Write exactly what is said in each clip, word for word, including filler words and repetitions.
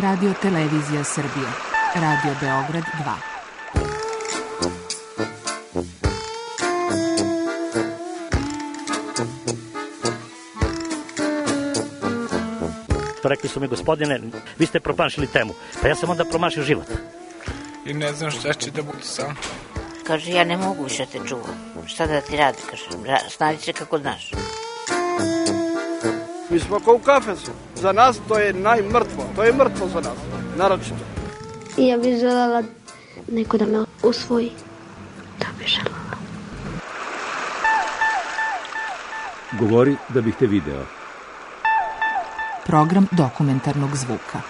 Radio Televizija Srbije. Radio Beograd dva. Rekli su mi, gospodine, vi ste promašili temu. Pa ja sam onda promašio život. I ne znam šta će da bude sam. Kaže, ja ne mogu više te čuvam. Šta da ti radi, kaže, snađi se kako znaš. Mi smo kao u kafesu. Za nas to je najmrtvo. To je mrtvo za nas, naročito. I ja bih želela neko da me usvoji. Da bih želela. Govori da bih te video. Program dokumentarnog zvuka.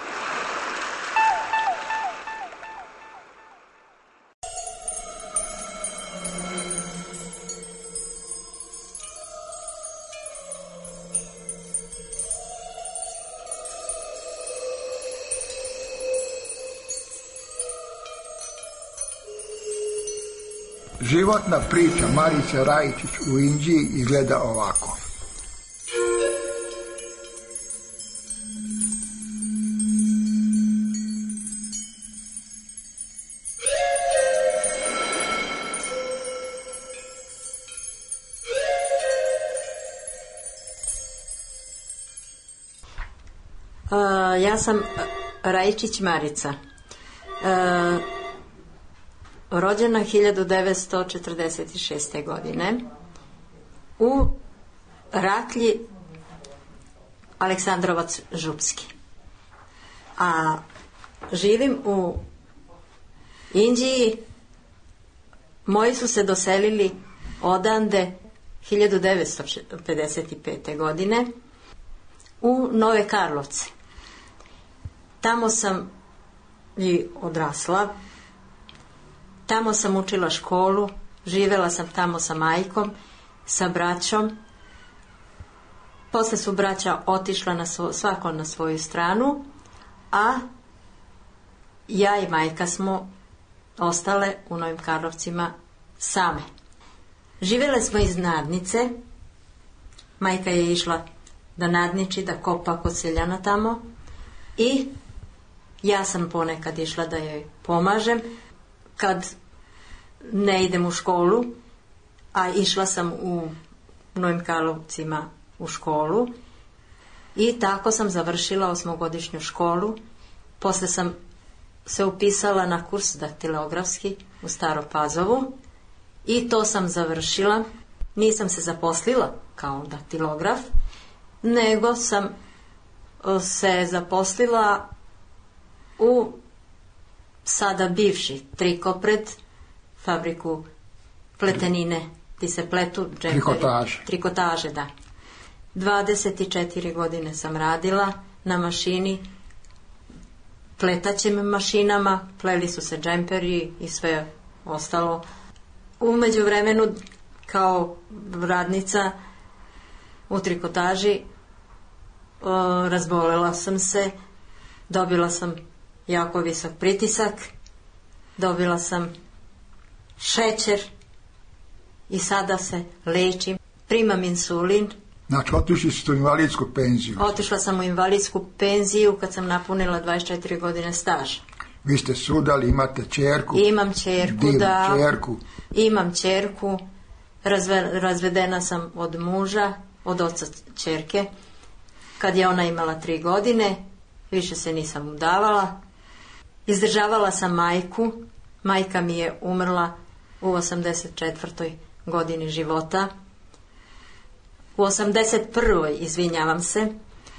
Životna priča Marice Rajičić u Inđiji izgleda ovako. Uh, ja sam Rajičić Marica. Uh, rođena hiljadu devetsto četrdeset šeste. godine u Raklji, Aleksandrovac Župski. A živim u Inđiji. Moji su se doselili odande hiljadu devetsto pedeset pete. godine u Nove Karlovce. Tamo sam i odrasla. Tamo sam učila školu, živjela sam tamo sa majkom, sa braćom. Posle su braća otišla na svo, svako na svoju stranu, a ja i majka smo ostale u Novim Karlovcima same. Živjele smo iz nadnice. Majka je išla da nadniči, da kopa kod seljana tamo i ja sam ponekad išla da joj pomažem kad ne idem u školu, a išla sam u Novim Karlovcima u školu i tako sam završila osmogodišnju školu. Posle sam se upisala na kurs daktilografski u Staro Pazovu i to sam završila. Nisam se zaposlila kao daktilograf, nego sam se zaposlila u sada bivši Trikopred, fabriku pletenine, ti se pletu džemperi. Trikotaže. Trikotaže, da. dvadeset četiri godine sam radila na mašini, pletaćim mašinama, pleli su se džemperi i sve ostalo. U međuvremenu, kao radnica u trikotaži, o, razbolela sam se, dobila sam jako visok pritisak, dobila sam šećer i sada se lečim, primam insulin. Znači, otišli ste u invalidsku penziju. Otišla sam u invalidsku penziju kad sam napunila dvadeset četiri godine staža. Vi ste sudali, imate ćerku. Imam ćerku, divnu da. Ćerku. Imam ćerku, razve, razvedena sam od muža, od oca ćerke. Kad je ona imala tri godine, više se nisam udavala. Izdržavala sam majku. Majka mi je umrla u osamdeset četvrtoj godini života. U osamdeset prvoj izvinjavam se,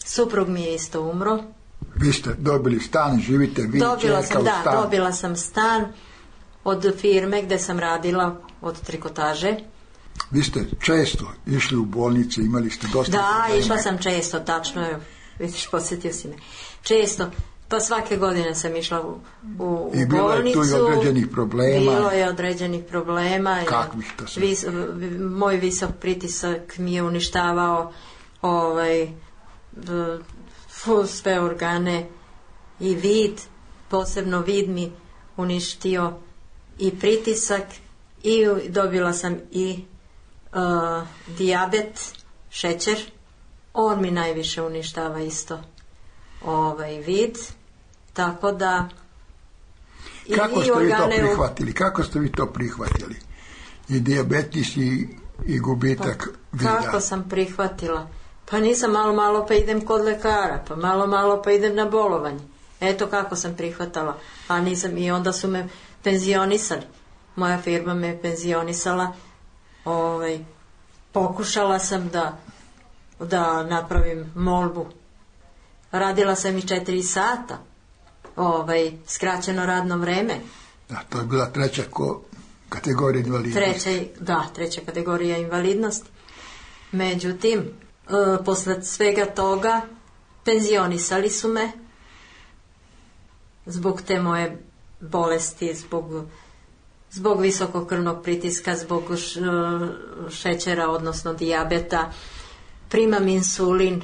suprug mi je isto umro. Vi ste dobili stan, živite vi, dobila ćerka sam, u da, stanu. dobila sam stan od firme gde sam radila od trikotaže. Vi ste često išli u bolnice, imali ste dosta Da, problema. išla sam često, tačno je, vidiš, podsjetio si me. Često, pa svake godine sam išla u, u, u I bilo bolnicu. je tu i određenih problema. Bilo je određenih problema. Kakvih to sve? Vis, moj visok pritisak mi je uništavao ovaj, sve organe i vid, posebno vid mi uništio i pritisak i dobila sam i uh, dijabet, šećer. On mi najviše uništava isto ovaj vid Tako da... I, Kako i ste vi to organe u- prihvatili? Kako ste vi to prihvatili? I dijabetis i, i gubitak vida. Kako sam prihvatila? Pa nisam malo malo pa idem kod lekara, pa malo malo pa idem na bolovanje. Eto kako sam prihvatala. A nisam, i onda su me penzionisali. Moja firma me penzionisala. Ovaj, pokušala sam da, da napravim molbu. Radila sam i četiri sata. Ovaj, skraćeno radno vreme. Da, to je bila treća ko, kategorija invalidnosti. Treća, da, treća kategorija invalidnosti. Međutim, e, posle svega toga penzionisali su me zbog te moje bolesti, zbog, zbog visokog krvnog pritiska, zbog š, šećera, odnosno dijabeta. Primam insulin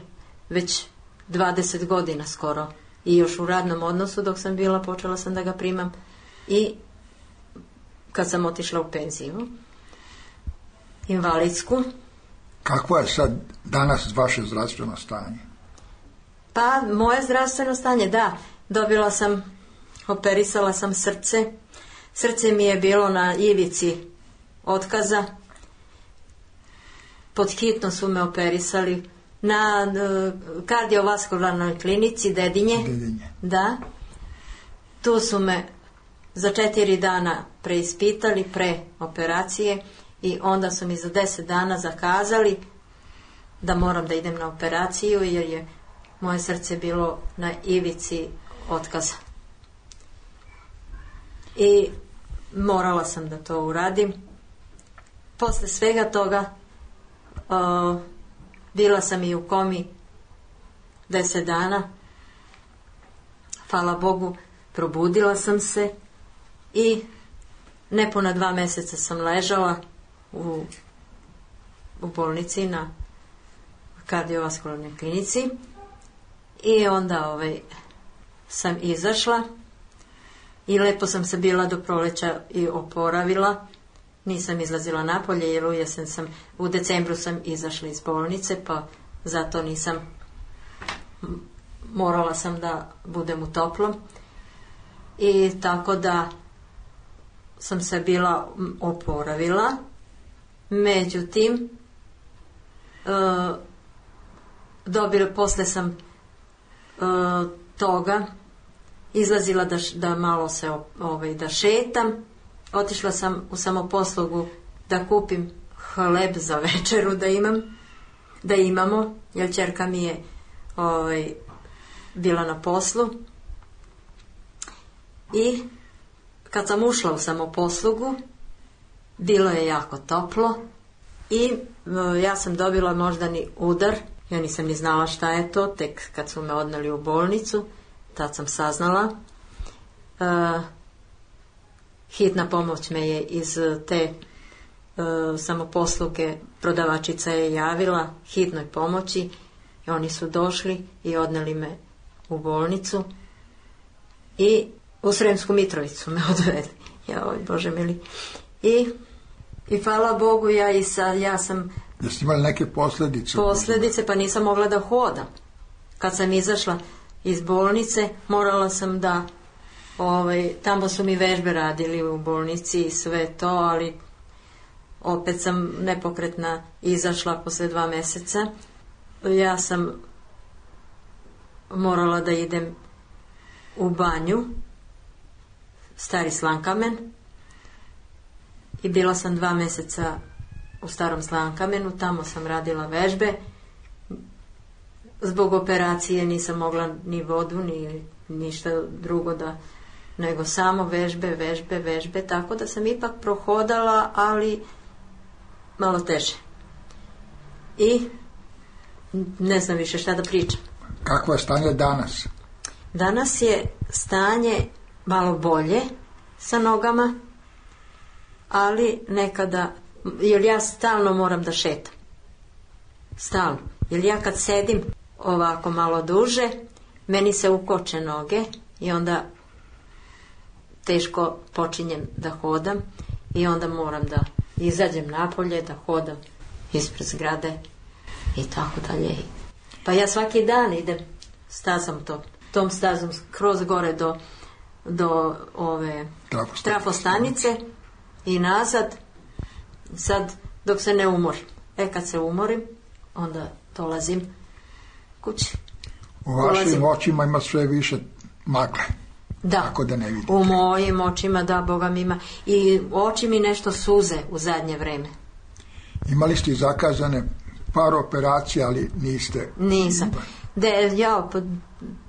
već dvadeset godina skoro i još u radnom odnosu dok sam bila, počela sam da ga primam i kad sam otišla u penziju invalidsku. Kakvo je sad danas vaše zdravstveno stanje? Pa moje zdravstveno stanje, da, dobila sam, operisala sam srce, srce mi je bilo na ivici otkaza, pod hitno su me operisali na uh, kardiovaskularnoj klinici Dedinje, Dedinje. Da, tu su me za četiri dana preispitali pre operacije i onda su mi za deset dana zakazali da moram da idem na operaciju jer je moje srce bilo na ivici otkaza. I morala sam da to uradim. Posle svega toga uh, bila sam i u komi deset dana. Hvala Bogu, probudila sam se i nepuna dva meseca sam ležala u, u bolnici na kardiovaskularnoj klinici i onda ovaj, sam izašla i lepo sam se bila do proleća i oporavila. Nisam izlazila napolje jer u jesen sam, u decembru sam izašla iz bolnice, pa zato nisam, morala sam da budem u toplom. I tako da sam se bila oporavila. Međutim, e, dobila, posle sam e, toga izlazila da, da malo se ovaj, da šetam. Otišla sam u samoposlugu da kupim hleb za večeru da imam, da imamo, jer ćerka mi je ovaj, bila na poslu. I kad sam ušla u samoposlugu, bilo je jako toplo i e, ja sam dobila moždani udar. Ja nisam ni znala šta je to, tek kad su me odneli u bolnicu, tad sam saznala. E, hitna pomoć me je iz te e, samoposluge, prodavačica je javila hitnoj pomoći i oni su došli i odneli me u bolnicu i u Sremsku Mitrovicu me odvedli. Joj, Bože mili. I, i hvala Bogu, ja, i sa, ja sam... Da ste imali neke posljedice? Posljedice, pa nisam mogla da hodam. Kad sam izašla iz bolnice, morala sam da... Ovaj, tamo su mi vežbe radili u bolnici i sve to, ali opet sam nepokretna izašla posle dva meseca. Ja sam morala da idem u banju, Stari Slankamen, i bila sam dva meseca u Starom Slankamenu, tamo sam radila vežbe. Zbog operacije nisam mogla ni vodu, ni ništa drugo da, nego samo vežbe, vežbe, vežbe, tako da sam ipak prohodala, ali malo teže. I ne znam više šta da pričam. Kakvo je stanje danas? Danas je stanje malo bolje sa nogama, ali nekada, jer ja stalno moram da šetam. Stalno. Jer ja kad sedim ovako malo duže, meni se ukoče noge i onda teško počinjem da hodam i onda moram da izađem napolje, da hodam ispred zgrade i tako dalje. Pa ja svaki dan idem stazom to. To tom stazom kroz gore do, do ove Trafostanice. trafostanice i nazad, sad dok se ne umorim. E kad se umorim, onda dolazim kući. U vašim Dolazim. očima ima sve više magle. Da, Tako da ne vidite. u mojim očima, da, Boga mi ima. I oči mi nešto suze u zadnje vreme. Imali ste zakazane par operacija, ali niste... Nisam. Da je, ja, pa,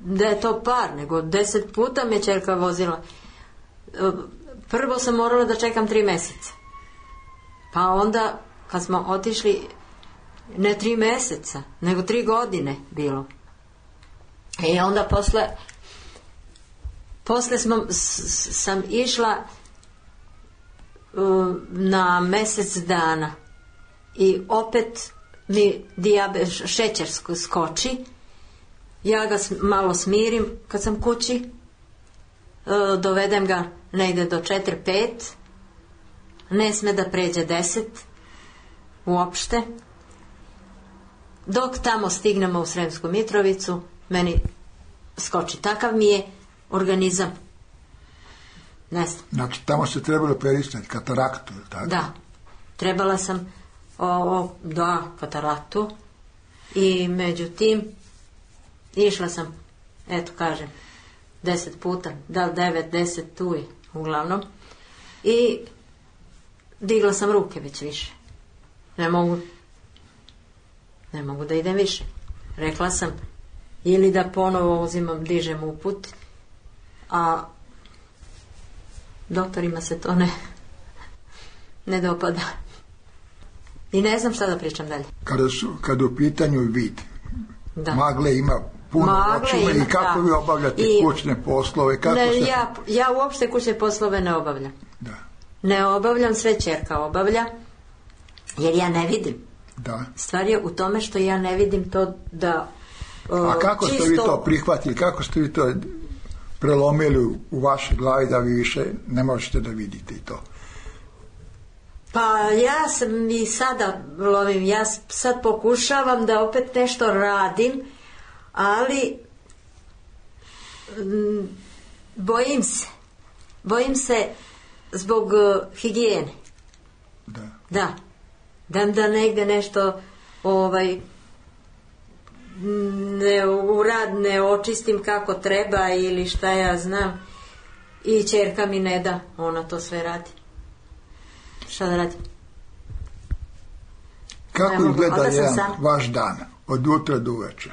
da je to par, nego deset puta me ćerka vozila. Prvo sam morala da čekam tri mjeseca. Pa onda, kad smo otišli, ne tri mjeseca, nego tri godine bilo. I onda posle, posle smo, s, sam išla uh, na mjesec dana i opet mi dijabet, šećer skoči. Ja ga malo smirim kad sam kući, uh, dovedem ga negdje do četiri pet, ne sme da pređe deset uopšte. Dok tamo stignemo u Sremsku Mitrovicu, meni skoči. Takav mi je organizam. Ne znam. Znači, tamo ste trebali operisati kataraktu, tako? Da. Trebala sam o, o, da, kataraktu i međutim išla sam, eto kažem, deset puta, da li devet, deset, tu je, uglavnom. I digla sam ruke već više. Ne mogu, ne mogu da idem više. Rekla sam, ili da ponovo uzimam, dižem uput, a doktorima se to ne, ne dopada. I ne znam šta da pričam dalje. Kada, su, kada u pitanju vid, Da. magle ima puno Magle očima ima, i kako da. vi obavljate I- kućne poslove? Kako Ne, se... ja, ja uopšte kućne poslove ne obavljam. Da, Ne obavljam, sve ćerka obavlja, jer ja ne vidim. da. Stvar je u tome što ja ne vidim to da o, A kako ste čisto... vi to prihvatili? Kako ste vi to prelomili u vašoj glavi da vi više ne možete da vidite i to? Pa ja sam i sada lovim, ja sad pokušavam da opet nešto radim, ali m, bojim se. Bojim se zbog uh, higijene. Da. Da. Da, da negde nešto ovaj ne urad, ne očistim kako treba ili šta ja znam. I ćerka mi ne da, ona to sve radi. Šta da radi? Kako Ne mogu, izgleda onda sam jedan sama. vaš dan, od jutra do uveče?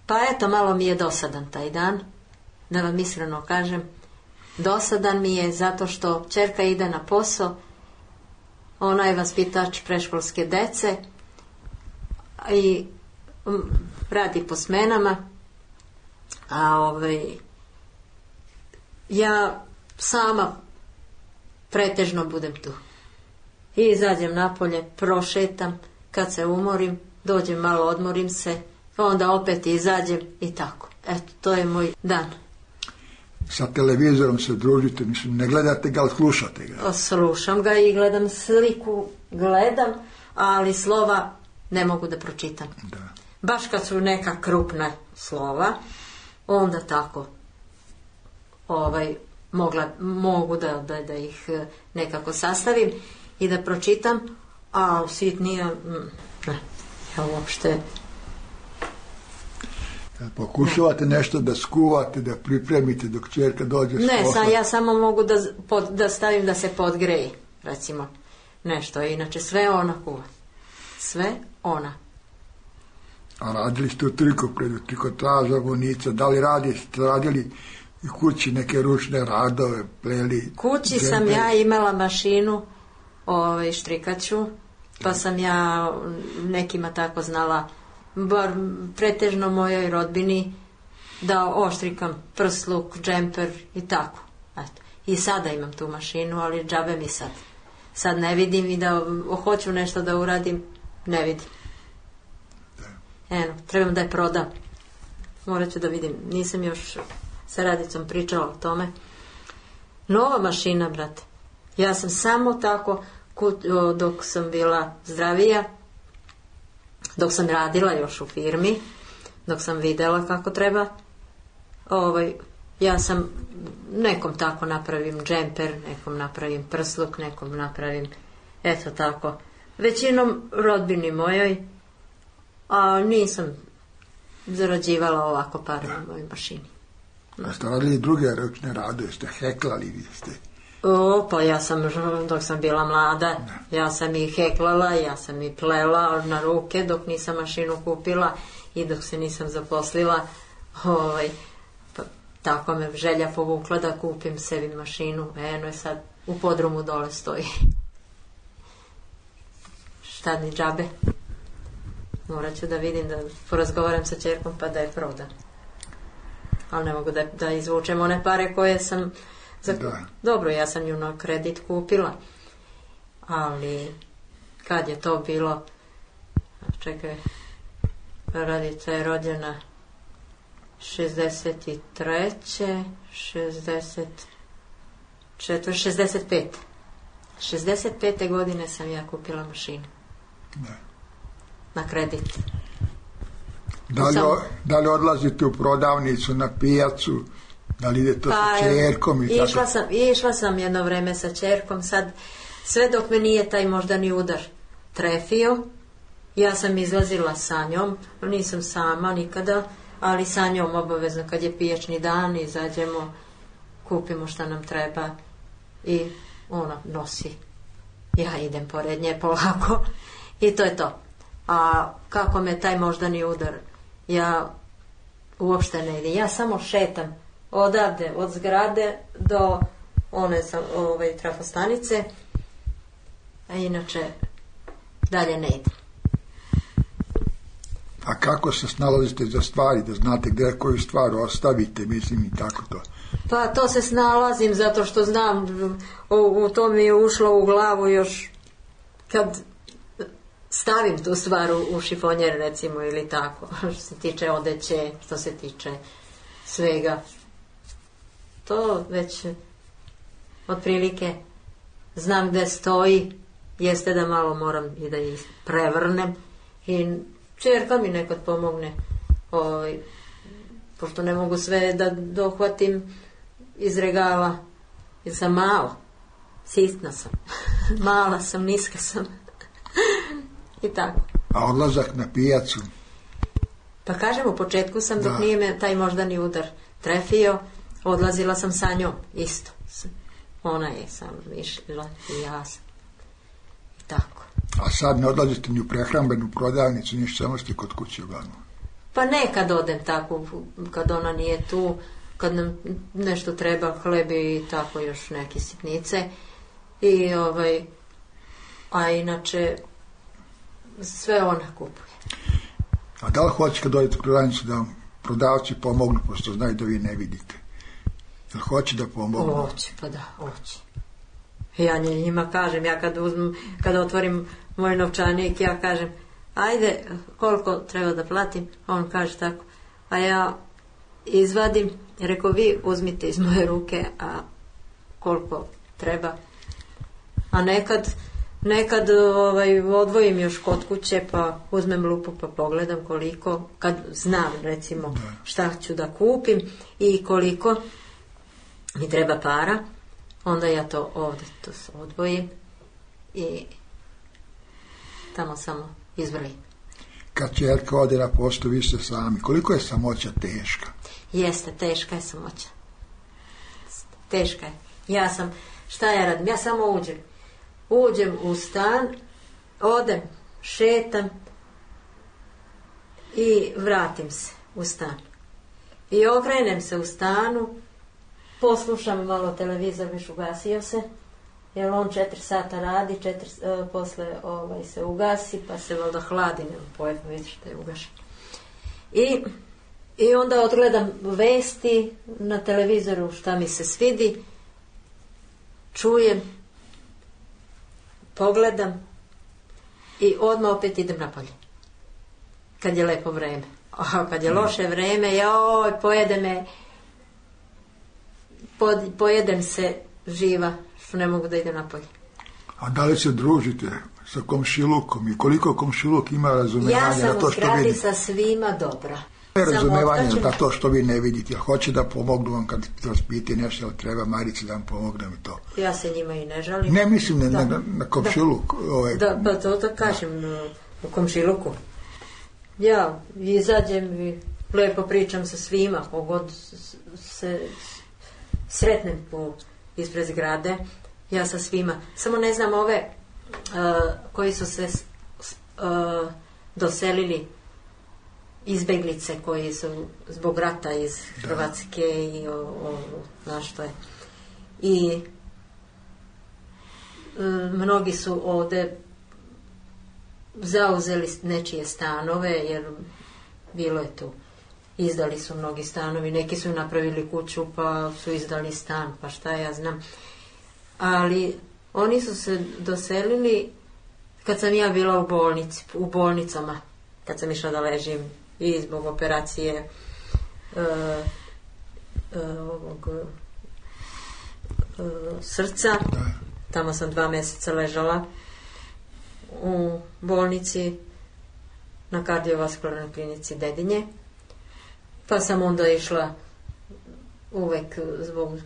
Pa eto, malo mi je dosadan taj dan, da vam iskreno kažem. Dosadan mi je zato što ćerka ide na posao, ona je vaspitač preškolske dece i mm, radi po smenama, a ovaj, ja sama pretežno budem tu. I izađem napolje, prošetam, kad se umorim, dođem malo, odmorim se, onda opet izađem i tako. Eto, to je moj dan. Sa televizorom se družite, mislim, ne gledate ga, ali slušate ga. Slušam ga i gledam sliku, gledam, ali slova ne mogu da pročitam. Da. Baš kad su neka krupna slova, onda tako ovaj, mogla, mogu da, da, da ih eh, nekako sastavim i da pročitam, a sitnije, mm, ne, ja uopšte... Pokušavate nešto da skuvate, da pripremite dok ćerka dođe s Ne, posla? sam, ja samo mogu da, pod, da stavim da se podgreje, recimo, nešto. Inače, sve ona kuva. Sve ona. A radili ste u trikopredu, trikotaža, vonica, da li radi, ste radili i kući neke ručne radove, pleli? Kući sam džemper? ja imala mašinu, ovaj, štrikaću, pa sam ja nekima tako znala, bar pretežno mojoj rodbini, da oštrikam prsluk, džemper i tako. Eto. I sada imam tu mašinu, ali džabe mi sad. Sad ne vidim i da hoću nešto da uradim, ne vidim. Eno, trebam da je prodam. Morat ću da vidim. Nisam još sa Radicom pričala o tome. Nova mašina, brate. Ja sam samo tako, dok sam bila zdravija, dok sam radila još u firmi, dok sam videla kako treba, ovaj, ja sam nekom tako napravim džemper, nekom napravim prsluk, nekom napravim eto tako. Većinom rodbini mojoj, a nisam zarađivala ovako pare na mojoj mašini. A ste radili druge ručne radove, ste heklali, vi ste? O, pa ja sam, dok sam bila mlada, ja sam i heklala, ja sam i plela na ruke dok nisam mašinu kupila i dok se nisam zaposlila. Ovaj, pa, tako me želja povukla da kupim sebi mašinu. Eno je sad u podrumu dole stoji. Šta ni džabe. Morat ću da vidim, da porazgovaram sa ćerkom pa da je prodam. Ali ne mogu da, da izvučem one pare koje sam... Za... Dobro, ja sam ju na kredit kupila. Ali kad je to bilo... Čekaj, Radica je rođena šezdeset treće šezdeset četvrte šezdeset pete šezdeset pete godine sam ja kupila mašinu. Da. Na kredit. Da li, sam... da li odlazite u prodavnicu, na pijacu, da li idete pa, sa ćerkom i išla tako? Sam, išla sam jedno vreme sa ćerkom, sad sve dok me nije taj moždani udar trefio, ja sam izlazila sa njom, nisam sama nikada, ali sa njom obavezno kad je pijačni dan, izađemo, kupimo šta nam treba i ona nosi. Ja idem pored nje polako i to je to. A kako me taj moždani udar, ja uopšte ne idem. Ja samo šetam odavde, od zgrade do one sam, ovaj, trafostanice, a inače dalje ne idem. A kako se snalazite za stvari, da znate gdje koju stvar ostavite, mislim i tako to? Pa to se snalazim zato što znam, u, u to mi je ušlo u glavu još kad stavim tu stvar u, u šifonjer recimo ili tako, što se tiče odeće, što se tiče svega. To već otprilike znam gdje stoji, jeste da malo moram i da ih prevrnem i ćerka mi nekad pomogne, ovaj, pošto ne mogu sve da dohvatim iz regala, jer sam mala, sitna sam, mala sam, niska sam i tako. A odlazak na pijacu? Pa kažem, u početku sam, dok da. Nije me taj moždani udar trefio, odlazila sam sa njom, isto. Ona je sam išla i ja sam. I tako. A sad ne odlazite ni u prehrambenu prodavnicu, ništa, samo ste kod kuće uglavnom? Pa nekad odem tako, kad ona nije tu, kad nam nešto treba, hlebi i tako još neke sitnice. I ovaj, a inače sve ona kupuje. A da li hoće kad dođete u prodavnicu da vam prodavci pomognu, pošto znaju da vi ne vidite? Jel hoće da pomognu? Hoće, pa da, hoće. Ja njima kažem, ja kad uzmem, kad otvorim moj novčanik, ja kažem, ajde, koliko treba da platim? On kaže tako, a ja izvadim, reko, vi uzmite iz moje ruke, a koliko treba? A nekad, nekad ovaj, odvojim još kod kuće, pa uzmem lupu pa pogledam koliko, kad znam recimo šta ću da kupim i koliko mi treba para, onda ja to ovdje to odvojim i tamo samo izvrlim. Kad ćerka ode na poštu, vi ste sami. Koliko je samoća teška? Jeste, teška je samoća. Teška je. Ja sam, šta ja radim? Ja samo uđem. Uđem u stan, odem, šetam i vratim se u stan. I okrenem se u stanu, poslušam malo televizor, viš ugasio se, jer on četiri sata radi, četiri, uh, posle ovaj, se ugasi, pa se valjda hladi, nema pojma, vidiš da je ugašen. I, I onda odgledam vesti na televizoru, šta mi se svidi, čujem, pogledam i odmah opet idem napolje. Kad je lepo vreme. A kad je loše vreme, joj, pojede me, pod, pojedem se živa, što ne mogu da idem napolje. A da li se družite sa komšilukom i koliko komšiluk ima razumijevanja na to što vidi? Ja sam u zgradi sa svima dobra. Razumevanje da to što vi ne vidite, ja hoće da pomognu vam kad vas piti nešto, ali treba Marici da vam pomognem i to. Ja se njima i ne žalim. Ne mislim na, da. na, na komšiluk. Da, ovaj. da, pa to da kažem, u komšiluku. Ja izađem i lepo pričam sa svima, kogod se sretnem po ispred zgrade, ja sa svima. Samo ne znam ove uh, koji su se uh, doselili, izbeglice koji su zbog rata iz Hrvatske i o, o, znaš što je. I uh, mnogi su ovde zauzeli nečije stanove, jer bilo je tu. Izdali su mnogi stanovi, neki su napravili kuću pa su izdali stan, pa šta ja znam. Ali oni su se doselili kad sam ja bila u bolnici, u bolnicama, kad sam išla da ležim i zbog operacije uh, uh, ovog uh, srca. Tamo sam dva mjeseca ležala u bolnici na kardiovaskularnoj klinici Dedinje. Pa sam onda išla uvek zbog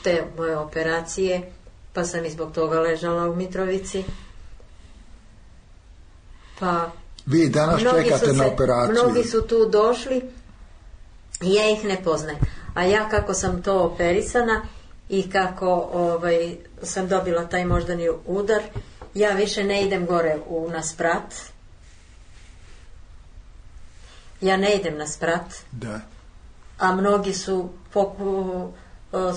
te moje operacije, pa sam i zbog toga ležala u Mitrovici. Pa vi danas čekate se, na operaciju. Mnogi su tu došli i ja ih ne poznajem. A ja kako sam to operisana i kako ovaj, sam dobila taj moždani udar, ja više ne idem gore u, na sprat. Ja ne idem na sprat. Da. A mnogi su poku,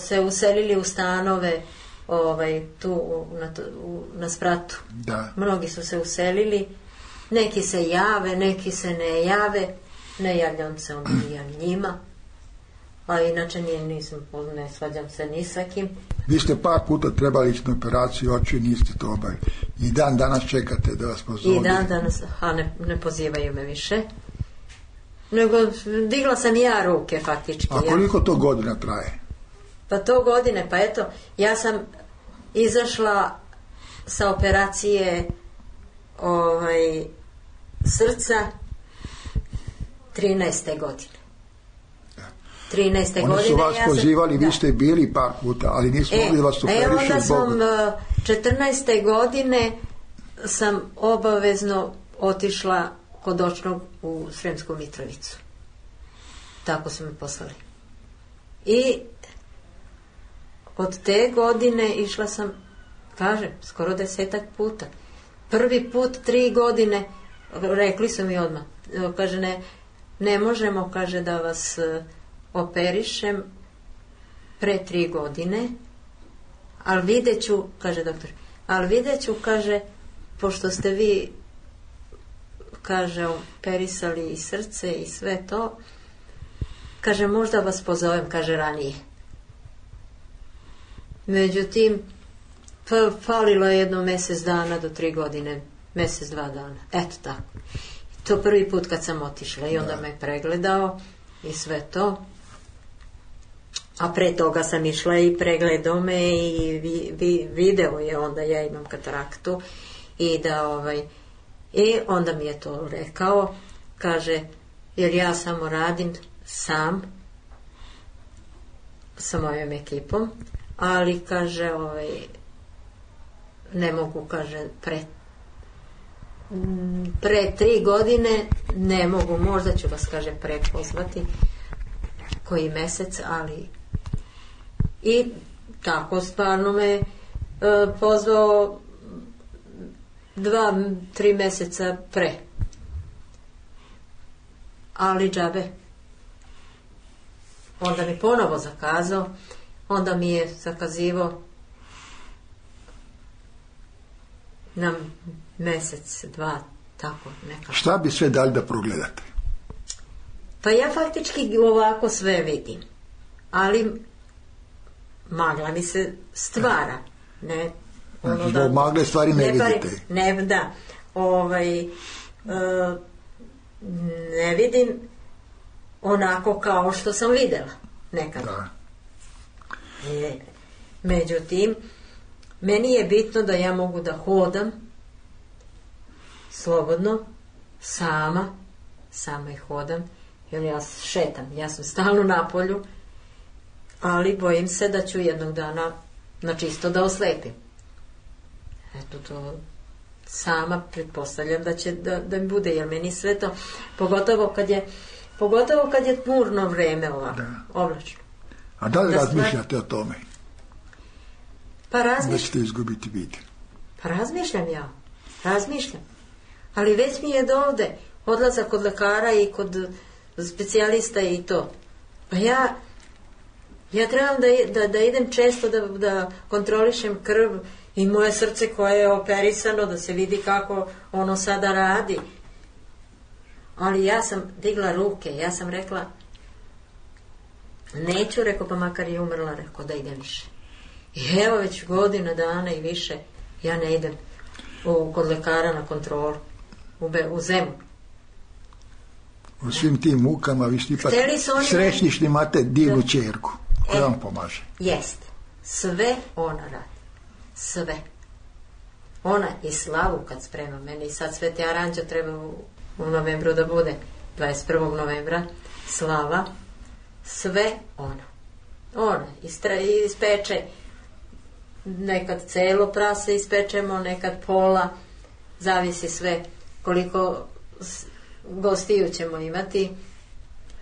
se uselili u stanove ovaj, tu na, u, na spratu. Da. Mnogi su se uselili. Neki se jave, neki se ne jave. Ne javljam se onda njima. A inače nije, nisam, ne svađam se ni sa kim. Vi ste par puta trebali ići na operaciju oči i niste to obavili. I dan danas čekate da vas pozove. I dan danas, a ne, ne pozivaju me više. Nego digla sam i ja ruke faktički. A koliko to godina traje? Pa to godine, pa eto, ja sam izašla sa operacije ovaj, srca trinaeste godine. trinaeste Oni godine. su vas ja pozivali, sam, vi ste bili par puta, ali nisu e, mogli da vas operišu. E, onda zbog... sam četrnaeste godine sam obavezno otišla kod očnog u Sremsku Mitrovicu. Tako su me poslali. I od te godine išla sam, kažem, skoro desetak puta. Prvi put tri godine, rekli su mi odmah, kaže, ne, ne možemo, kaže, da vas operišem pre tri godine, ali vidjet ću, kaže doktor, ali vidjet ću, kaže, pošto ste vi, kaže, operisali i srce i sve to, kaže, možda vas pozovem, kaže, ranije. Međutim, pa, falilo je jedno mjesec dana do tri godine, mjesec, dva dana, eto tako. To prvi put kad sam otišla i onda me pregledao i sve to. A pre toga sam išla i pregledao me i vi, vi, video je onda ja imam kataraktu i da ovaj i onda mi je to rekao, kaže, jer ja samo radim sam sa mojom ekipom, ali kaže, ovaj ne mogu, kaže, pre pre tri godine ne mogu, možda ću vas, kaže, prepozvati koji mjesec, ali i tako stvarno me e, pozvao dva, tri mjeseca pre, ali džabe. Onda mi ponovo zakazao, onda mi je zakazivao na mjesec, dva, tako nekako. Šta bi sve dali da progledate? Pa ja faktički ovako sve vidim, ali magla mi se stvara, ne, ono znači, da, magle stvari ne, ne vidite. Ne, da, ovaj, e, ne vidim onako kao što sam videla nekada. Da. E, međutim, meni je bitno da ja mogu da hodam slobodno, sama, sama i hodam jer ja šetam, ja sam stalno na polju, ali bojim se da ću jednog dana na čisto da oslepim. Eto to sama pretpostavljam da će da, da mi bude, jer meni sve to, pogotovo kad je pogotovo kad je tmurno vreme ovako, oblačno. A da li Da razmišljate stvar... o tome? Pa razmišljam. Da ćete izgubiti vid. Pa razmišljam ja, razmišljam. Ali već mi je do ovde odlazak kod lekara i kod specijalista i to. Pa ja ja trebam da, da, da idem često da, da kontrolišem krv i moje srce koje je operisano, da se vidi kako ono sada radi. Ali ja sam digla ruke, ja sam rekla neću, rekao, pa makar i umrla, rekao da idem više. I evo već godina dana i više ja ne idem u, kod lekara na kontrolu u, Be, u Zemu. U svim tim mukama vi ste ipak oni... srećni što imate divnu ćerku koja e, vam pomaže. Jeste. Sve ona radi. Sve. Ona i slavu kad sprema meni, i sad Sveti Aranđeo treba u, u novembru da bude, dvadeset prvog novembra, slava, sve ona. Ona istra, ispeče, nekad celo prase ispečemo, nekad pola, zavisi sve koliko gostiju ćemo imati,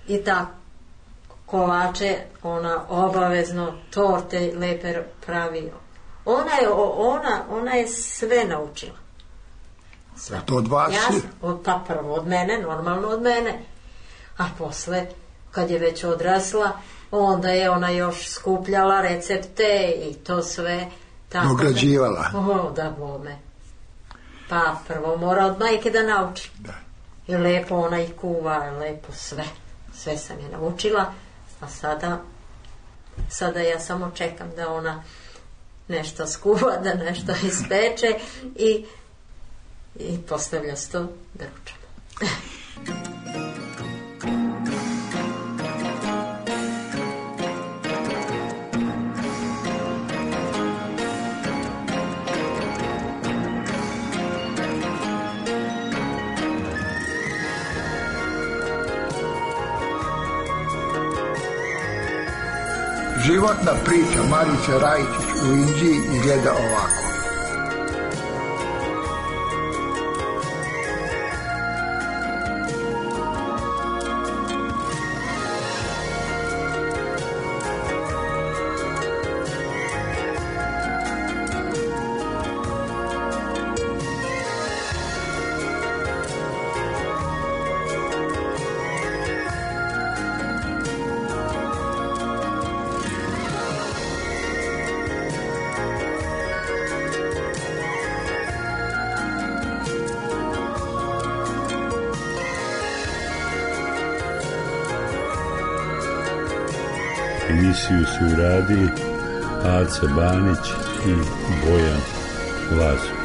i tako. Kolače ona obavezno, torte lepe pravi. Ona je, ona, ona je sve naučila. Sve. To od vas? Ja, od, pa prvo od mene, normalno od mene. A posle, kad je već odrasla, onda je ona još skupljala recepte i to sve. Tako dograđivala. Da, o, da bome. Pa prvo mora od majke da nauči. Da. I lepo ona i kuva, lepo sve. Sve sam je naučila. A sada, sada ja samo čekam da ona nešto skuva, da nešto ispeče i, i postavlja sto da ručamo. Životna priča Marice Rajičić u Inđiji izgleda ovako. Emisiju su uradili Aca Banić i Bojan Lazo.